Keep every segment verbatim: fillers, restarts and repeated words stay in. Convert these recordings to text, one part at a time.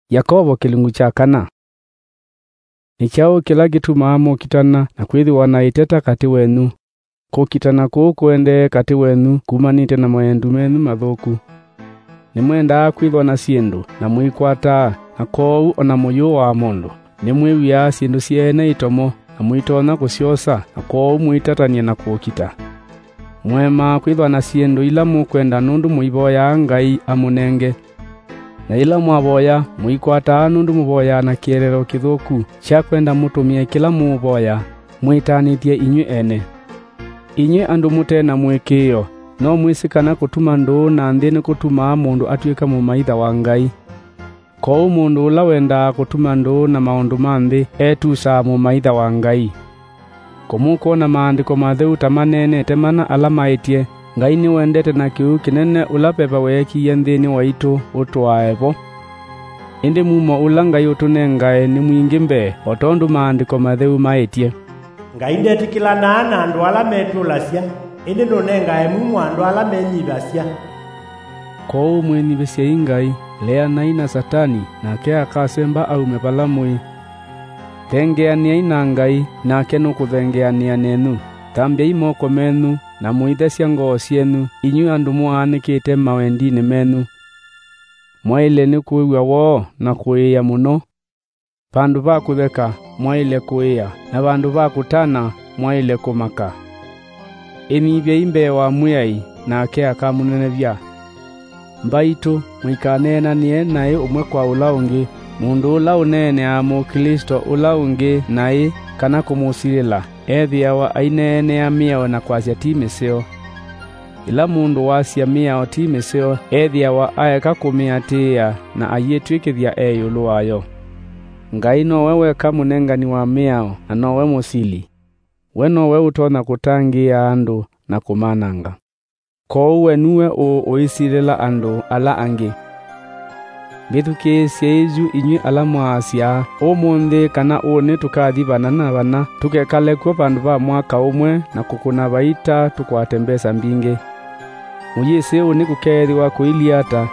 Yakovo kĩlungu kya kana. Nĩ kyaũ kĩla kĩtumaa mũkitana na kwĩthĩwa na ĩteta katĩ wenyu? Kũkitana kũu kũendee katĩ wenyu kumanĩte na maendu menyu mathũku. Nĩmwendaa kwĩthwa na syĩndũ, na mũikwataa, na kwoou o na mũyũaa mũndũ. Nĩmwĩw'ĩaa syĩndũ syeene itomo, na mũitonya kũsyosa, na kwoou mũitatany'a na kũkita. Mũemaa kwĩthwa na syĩndũ ila mũkwenda nũndũ mũivoyaa Ngai amũnenge. Na yĩla mwavoya, mũikwataa nũndũ mũvoyaa na kĩeleelo kĩthũku kya kwenda mũtũmĩe kĩla mũũvoya, mwĩtanĩthye inyw'ĩ ene. Inyw'ĩ andũ mũte na mũĩkĩĩo, no mwĩsĩ kana kũtuma ndũũ na nthĩ nĩkũtumaa mũndũ atw'ĩka mũmaitha wa Ngai? Kwoou mũndũ ũla wendaa kũtuma ndũũ na maũndũ ma nthĩ etusaa mũmaitha wa Ngai. Kũmũkwona Maandĩko Matheu ta maneenete mana ala maĩtye, Ngai nĩwendete na kĩu kĩnene ũla Veva weekĩie nthĩnĩ waitũ ũtũae vo. Ĩndĩ mumo ũla Ngai ũtũnengae nĩ mwingĩ mbee, o tondũ Maandĩko Matheu maĩtye, "Ngai ndetĩkĩlanaa na andũ ala metũlasya, ĩndĩ nũnengae mumo andũ ala menyivasya." Kwoou mwĩnyivĩsyei Ngai, leanai na Satani, nake akasemba aume vala mũĩ. Thengeanĩai na Ngai, nake nũkũthengeanĩa nenyu. Thambyai moko menyu, na mũithesya ngoo syenyu, inyw'ĩ andũ mũaanĩkĩte mawendinĩ menyu. Mwaĩle nĩ kũĩw'a woo na kũĩĩa mũno. Vandũ va kũtheka, mwaĩle kũĩa, na vandũ va kũtana, mwaĩle kũmaka. Ĩnyivyei mbee wa Mwĩai, nake akamũnenevya. Mbaitũ, mũikaneenanĩe naĩ ũmwe kwa ũla ũngĩ. Mũndũ ũla ũneeneaa Mũklĩsto ũla ũngĩ naĩ kana kũmũsilĩla, ethĩawa aineenea mĩao na kwasya ti mĩseo. Yĩla mũndũ wasya mĩao ti mĩseo, ethĩawa aeka kũmĩatĩĩa na ayĩtw'ĩkĩthya e ĩũlũ wayo. Ngai nowe weka mũnengani wa mĩao, na nowe mũsili. We nowe ũtonya kũtangĩĩa andũ na kũmananga. Kwoou we nue ũ ũisilĩla andũ ala angĩ? Mbĩthukĩĩsyei yu inyw'ĩ ala mwaasya ũmũnthĩ kana ũnĩ tũkathi vana na vana, tũkekale kw'o vandũ va mwaka ũmwe na kũkũna vaita tũkwate mbesa mbingĩ. Mũyĩsĩ ũnĩ kũkeethĩwa kũilyĩ ata?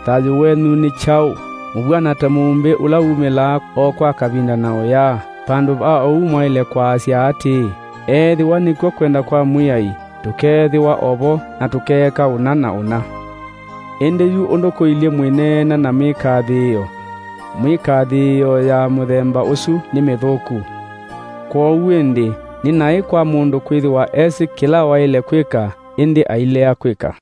Thayũ wenyu nĩ kyaũ? Mũvw'ana ta mũumbĩ ũla wumĩlaa o kwa kavinda na ũyaa. Vandũ va ũu mwaĩle kwaasya atĩĩ, "Eethĩwa nĩkw'o kwenda kwa Mwĩai, tũkeethĩwa o vo na tũkeeka ũna na ũna." Ĩndĩ yu ũndũ kũilyĩ mwĩneena na mĩkathĩĩo, mĩkathĩĩo ya mũthemba ũsu nĩ mĩthũku. Kwoou ĩndĩ, nĩ naĩ kwa mũndũ kwĩthĩwa esĩ kĩla waĩle kwĩka, ĩndĩ ailea kwĩka.